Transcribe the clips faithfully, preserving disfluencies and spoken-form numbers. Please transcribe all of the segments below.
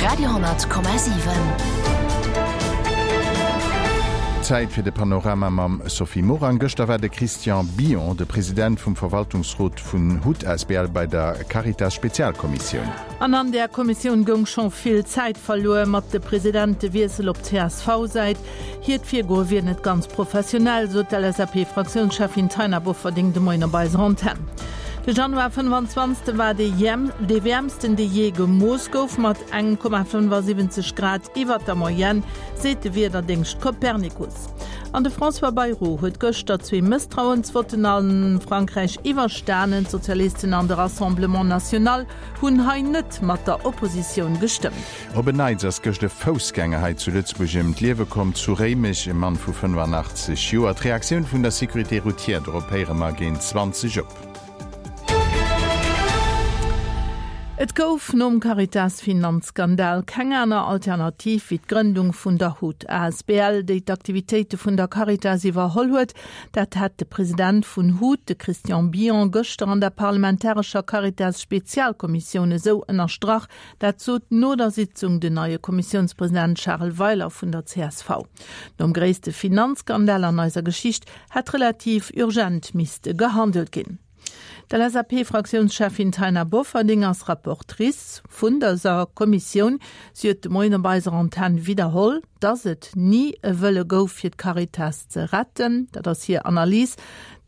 Radio honnert Komma siwen. Zäit fir de Panorama mam Sophie Morang. Gëschter war de Christian Billon, de President vum Verwaltungsrot vun hut asbl bei der Caritas Spezialkommissioun. An an där Kommissioun goung scho vill Zäit verluer mat de Presidentewiessel op C S V-Säit. Hiert Virgoe wier net ganz professionell, sot d'L S A P-Fraktiounscheffin Taina Bofferding de Moien op eiser Antenn. De Januar fënnefanzwanzeg war dee dee wäermsten, dee jee gemooss gouf, mat eng Komma fënnefasiwwenzeg Grad iwwer der Moyenne, seet de Wiederdéngscht Copernicus. An de François Bayrou huet gëschter zwee Mësstrauensvotten a Frankräich iwwerstanen. D'Sozialisten an de Rassemblement National hunn hei net mat der Oppositioun gestëmmt. Op en Neits ass gëscht e Foussgänger hei zu Lëtzebuerg ëm d'Liewe komm, zu Réimech, e Mann vu fënnefanaachtzeg Joer. D'Reaktioun vun der Sécurité routière dorop héiere mer géint zwanzeg op. Et gouf nom Caritas-Finanzskandal keng aner Alternativ wéi d'Grëndung vun der HUT A S B L, déi d'Aktivitéite vun der Caritas iwwerholl huet. Dat hat de President vun HUT, de Christian Billon, gëschter an der parlamentarescher Caritas-Spezialkommissioun esou ënnerstrach. Dat sot no der Sitzung den neie Kommissiounspresident Charles Weiler vun der C S V. Nom gréisste Finanzskandal an eiser Geschicht hätt relativ urgent misste gehandelt ginn. D'L S A P-Fraktiounscheffin Taina Bofferding ass Rapportrice vun dëser Kommissioun. Si huet de Moien op eiser Antenn widderholl, dass et ni e Wëlle gouf fir d'Caritas ze retten. Dat ass hir Analys.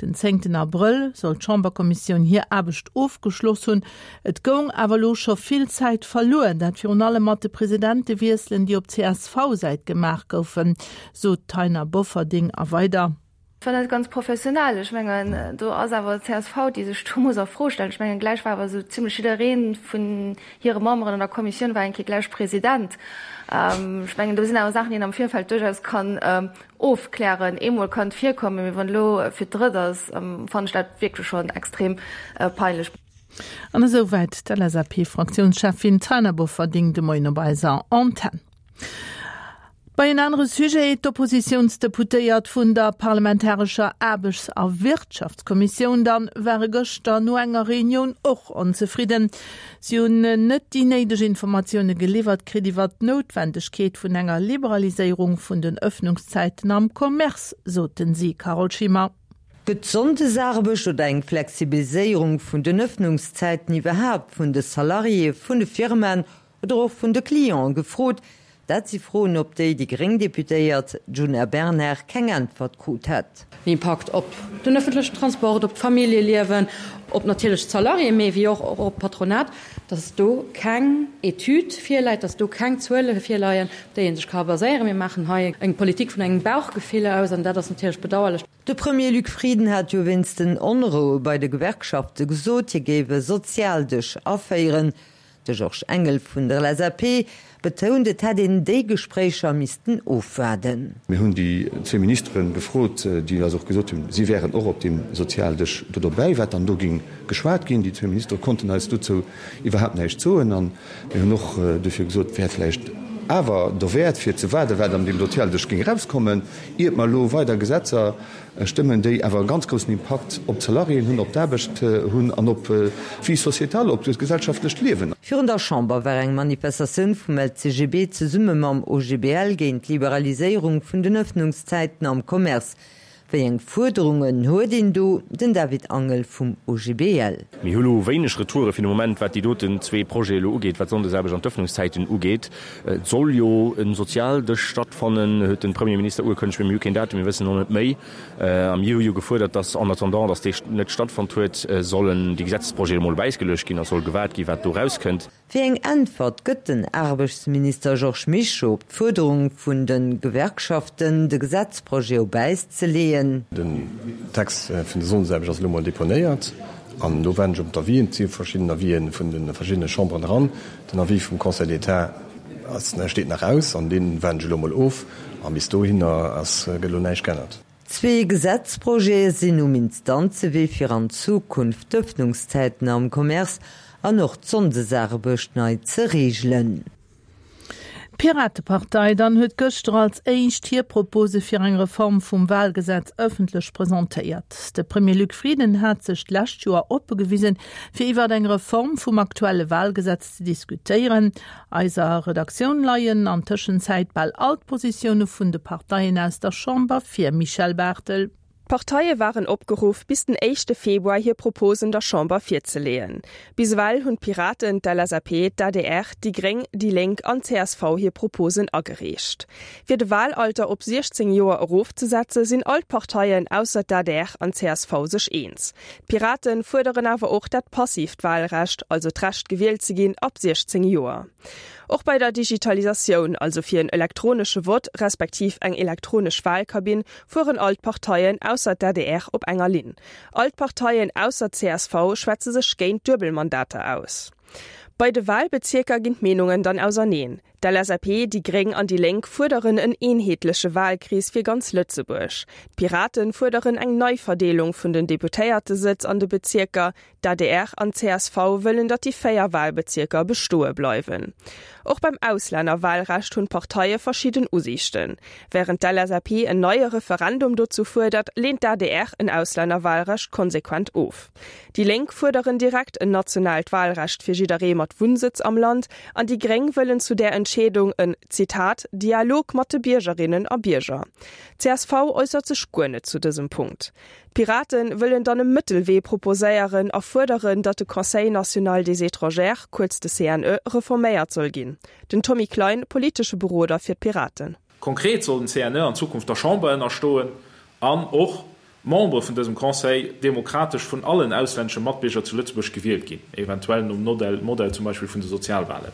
Den zéngten Abrëll soll d'Chamberkommissioun hir Aarbecht ofgeschloss hunn. Et goung awer elo scho vill Zäit verluer, dat virun allem mat de Presidentewiesselen, déi op C S V-Säit gemaach goufen, sot d'Taina Bofferding a weider. War net ganz professionell. Ech mengen, do ass awer C S V, déi sech do muss a Fro stellen. Ech mengen, gläich war awer sou zimmlech jidderee vun hire Memberen an der Kommissioun war eng Kéier gläich President. Ähm, ech mengen, do sinn awer Saachen, déi een am Virfeld duerchaus kann ähm, ofklären. Eemol kann et virkommen, mee wann elo fir d'drëtt ass, ähm, fannen ech dat wierklech schonn extrem äh, peinlech. An esouwäit d'L S A P-Fraktiounscheffin Taina Bofferding de Moien op eiser Antenn. Bei en anere Sujet: D'Oppositiounsdeputéiert vun der parlamentarescher Aarbechts- a Wirtschaftskommissioun dann ware gëschter no enger Reunioun och onzefridden. Si hunn net déi néideg Informatioune geliwwert kritt iwwer d'Noutwendegkeet vun enger Liberaliséierung vun den Ëffnungszäiten am Commerce, soten si. Carole Schimmer. Gëtt Sonndesaarbecht oder eng Flexibiliséierung vun den Ëffnungszäiten iwwerhaapt vun de Salariéë vun de Firmaen oder och vun de Cliente gefrot? Dat si Froen, op déi déi gréng Deputéiert Djuna Bernard keng Äntwert krut hätt. Den Impakt op den ëffentlechen Transport, op d'Familljeliewen, op natierlech d'Salariéen, mee wéi och op d'Patronat, dass do keng Etüd virläit, dass do keng Zuele virleien, op déi ee sech ka baséieren. Mir maachen hei eng Politik vun engem Bauchgefill aus an dat ass natierlech bedauerlech. De Premier Luc Frieden hat jo wéinst den Onroue bei de Gewerkschafte gesot, hie géif e Sozialdësch aféieren. De Georges Engel vun der L S A P betount, et hätt een déi Gespréicher missten ofwaarden. Mir hunn déi zwee Ministere gefrot, déi eis och gesot hunn, si wären och op deem Sozialdësch do dobäi, wat dann do géing geschwat ginn. Déi zwee Ministere konnten eis dozou iwwerhaapt näischt soen. A mir hunn och dofir gesot, et wär vläicht awer derwäert, fir ze waarden, wat an deem Sozialdësch géing erauskommen, iert mer elo weider Gesetzer stëmmen, déi awer e ganz groussen Impakt op d'Salariéen hunn, op d'Aarbecht hunn an op d'Vie sociétale, op d'gesellschaftlecht Liewen. Virun der Chamber war eng Manifestatioun vum L C G B zesumme mam O G B L géint d'Liberaliséierung vun den Ëffnungszäiten am Commerce. Wéi eng Fuerderungen huet een do? Den David Angel vum O G B L. Mir hu lo wéineg Retoure fir de Moment, wat déi doten zwee Projete elo ugeet, wat d'Sonndesaarbecht an d'Ëffnungszäiten ugeet. Et soll jo e Sozialdësch stattfannen, huet de Premierminister ugekënnegt, mee mir hu keen Datum, mir wëssen och net méi. A mir hu jo gefuerdert, datt en attendant, datt dee net stattfonnt huet, sollen déi Gesetzesprojete emol op Äis geluecht ginn a soll gewaart ginn, wat do erauskënnt. Wéi eng Äntwert gëtt den Aarbechtsminister Georges Mischo op d'Fuerderung vun de Gewerkschaften, de Gesetzprojet op Äis ze leeën? Den Text vun der Sonndesaarbecht ass elo mol deponéiert an do waarden ech op d'Avisen. Et si verschidden Avisen vun de verschiddene Chamberen eran. Den Avis vum Conseil d'État ass, steet nach aus an dee waarden ech elo mol of a bis dohinner ass, gëtt elo näischt geännert. Zwee Gesetzprojete sinn um Instanzewee, fir an Zukunft d'Ëffnungszäiten am Commerce an och d'Sonndesaarbecht nei ze reegelen. D'Piratepartei dann huet gëschter als éischt hir Propose fir eng Reform vum Wahlgesetz ëffentlech presentéiert. De Premier Luc Frieden hat sech d'lescht Joer oppe gewisen, fir iwwer eng Reform vum aktuelle Wahlgesetz ze diskutéieren. Eiser Redaktioun leien an Tëschenzäit bal all d'Positioune vun de Parteien aus der Chamber vir, Michèle Barthel. D'Parteie waren opgeruff, bis den éischte Februar hir Proposen der Chamber virzeleeën. Bis ewell hunn d'Piraten, d'LSAP, d'ADR, déi Gréng, déi Lénk an csv hir Proposen agereecht. Fir de Wahlalter op siechzéng Joer erofzesetze sinn all d'Parteien ausser d'ADR an csv sech eens. D'Piraten fuerderen awer och dat passiivt Wahlrecht, also d'Recht gewielt ze ginn ab siechzéng Joer. Och bei der Digitalisatioun, also fir en elektronesche Vott respektiv eng elektronesch Wahlkabinn, fueren all d'Parteien ausser d'ADR op enger Linn. All d'Parteien ausser csv schwätze sech géint Duebelmandater aus. Bei de Wahlbezierker ginn d'Meenungen dann auserneen. D'LSAP, déi Gréng an déi Lénk fuerderen en eenheetleche Wahlkrees fir ganz Lëtzebuerg. D'Piraten fuerderen eng Neiverdeelung vun den Deputéiertesëtz an de Bezierker. D'adr an csv wëllen, datt déi véier Wahlbezierker bestoe bleiwen. Och beim Auslännerwahlrecht hunn d'Parteie verschidden Usiichten. Wärend d'LSAP en neie Referendum dozou fuerdert, leent d'ADR en Auslännerwahlrecht konsequent of. Déi Lénk fuerderen direkt en nationaalt Wahlrecht fir jidderee mat Wunnsëtz am Land an déi Gréng wëllen zu där Entscheedung en, Zitat, Dialog mat de Biergerinnen a Bierger. Csv äussert sech guer net zu dësem Punkt. D'Piraten wëllen dann e Mëttelwee proposéieren a fuerderen, datt de Conseil national des étrangers, kuerz de C N E, reforméiert soll ginn. Den Tommy Klein, politesche Beroder fir d'Piraten. Konkret soll den C N E an Zukunft der Chamber ënnerstoen an och d'Membere vun dësem Conseil demokratesch vun allen auslännesche Matbierger zu Lëtzebuerg gewielt ginn, eventuell nom Modell zum Beispill vun de Sozialwahlen.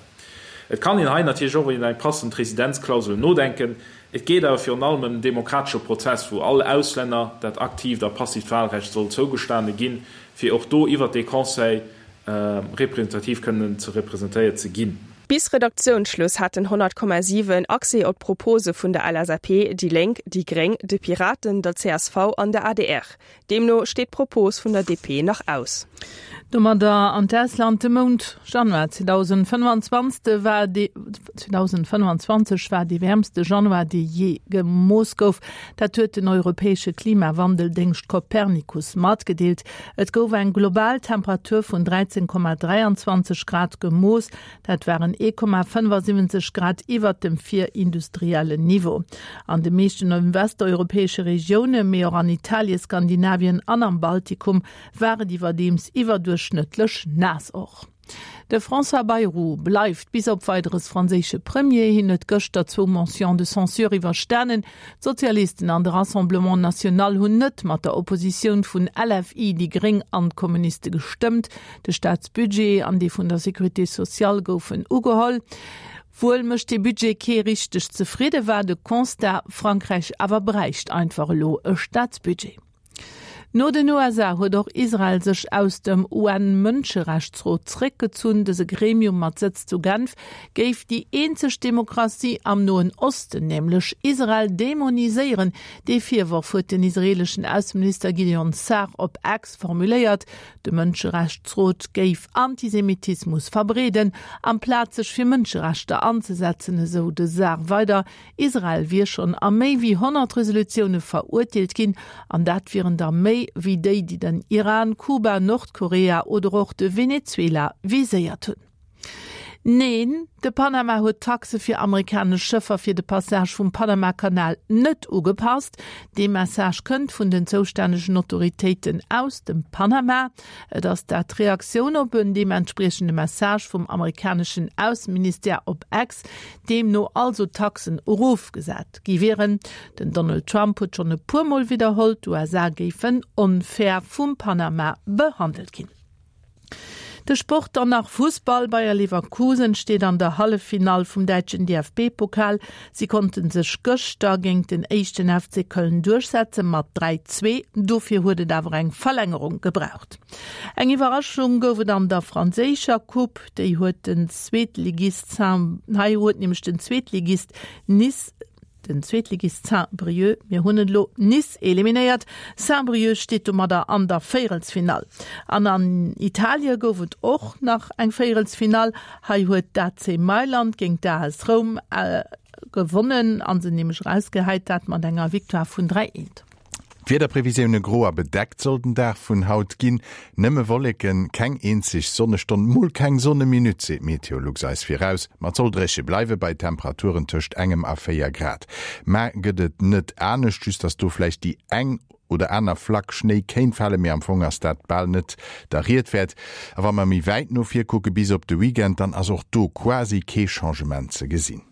Et kann een hei natierlech och iwwer eng passend Residenzklausel nodenken. Et geet awer virun allem ëm en demokratesche Prozess, wou all Auslänner dat aktiivt a passiivt Wahlrecht soll zougestane ginn, fir och do iwwert dee Conseil representativ kënnen ze representéiert ze ginn. Bis Redaktiounsschluss haten honnert Komma siwen Accès op d'Propose vun der L S A P, déi Lénk, déi Gréng, de Piraten, der C S V an der A D R. Deemno steet d'Propos vun der D P nach aus. Domadder an d'Ausland, De Mount Januar zweedausendfënnefanzwanzeg war dee zweedausendfënnefanzwanzeg war dee wäermste Januar, dee jee gemooss gouf. Dat huet den europäesche Klimawandeldéngscht Copernicus matgedeelt. Et gouf eng global Temperatur vun dräizéng Komma dräianzwanzeg Grad gemooss. Dat waren ee Komma fënnefasiwwenzeg Grad iwwert dem virindustriellen Niveau. An de meeschten westeuropäesche Regioune, mee och an Italien, Skandinavien an am Baltikum war et iwwerdeems iwwerduerchschnëttlech naass. Och de François Bayrou bleift bis op Weideres franséische Premier. Hien huet gëschter zwou Motions de censure iwwerstanen. D'Sozialisten an de Rassemblement National hunn net mat der Oppositioun vun L F I, déi Gréng an d'Kommuniste gestëmmt. De Staatsbudget an dee vun der Sécurité sociale goufen ugeholl. Wuel mécht de Budget kee richteg zefridde war de Constat, Frankräich awer bräicht einfach elo e Staatsbudget. No den U S A huet och Israel sech aus dem U N-Mënscherechtsrot zréckgezunn. Dëse Gremium mat Sëtz zu Genf géif déi eenzeg Demokratie am Noen Osten, nämlech Israel, demoniséieren. Dee Virworf huet den israeeleschen Ausseminister Gideon Saar op X formuléiert. De Mënscherechtsrot géif Antisemitismus verbreeden, amplaz sech fir Mënscherechter anzesetzen, esou de Saar weider. Israel wier schonn a méi wéi honnert Resolutioune verurteelt ginn, an dat wieren der méi wéi déi, déi den Iran, Kuba, Nordkorea oder och de Venezuela viséiert hunn. Neen, de Panama huet d'Taxe fir amerikanesch Schëffer fir de Passage vum Panamakanal net ugepasst. Dee Message kënnt vun den zoustännegen Autoritéiten aus dem Panama. Et ass dat d'Reaktioun op en deementspriechende Message vum amerikaneschen Ausseministère op X, deemno also d'Taxen erofgesat gi wieren. Den Donald Trump huet schonn e puer Mol widderholl, d'U S A géifen onfair vum Panama behandelt ginn. De Sport dann nach, Fussball, Bayer Leverkusen steet an der Halleffinall vum däitschen D F B-Pokal. Si konnten sech gëschter géint den éischten F C Köln duerchsetze mat dräi zwee. Dofir huet et awer eng Verlängerung gebraucht. Eng Iwwerraschung gouf et an der franséischer Coupe, déi huet den Zweetligist hei huet nämlech den Zweetligist Nice den Zweetligist Saint-Brieuc, mir hunn et elo, Nice eliminéiert. Saint-Brieuc steet domadder an der Véierelsfinall. An an Italie gouf et och nach eng Véierelsfinall. Hei huet d'AC Mailand géint d'AS Roum gewonnen an se nämlech erausgehäit, dat mat enger Victoire vun dräi eent. D'Wiederprevisioune, Gro a bedeckt soll den Dag vun haut ginn, nëmme Wolleken, keng eenzeg Sonnestonn, mol keng Sonne-Minutt, seet Meteolux eis viraus. Ma et soll dréche bleiwe bei Temperaturen tëscht engem a véier Grad. Mar gëtt et net anescht, just dass do vläicht déi eng oder aner Flack Schnéi kéint falen, mee am Fong ass dat bal net der Ried wäert. A wa mer méi wäit no vir kucke bis op de Weekend, dann ass och do quasi kee Changement ze gesinn.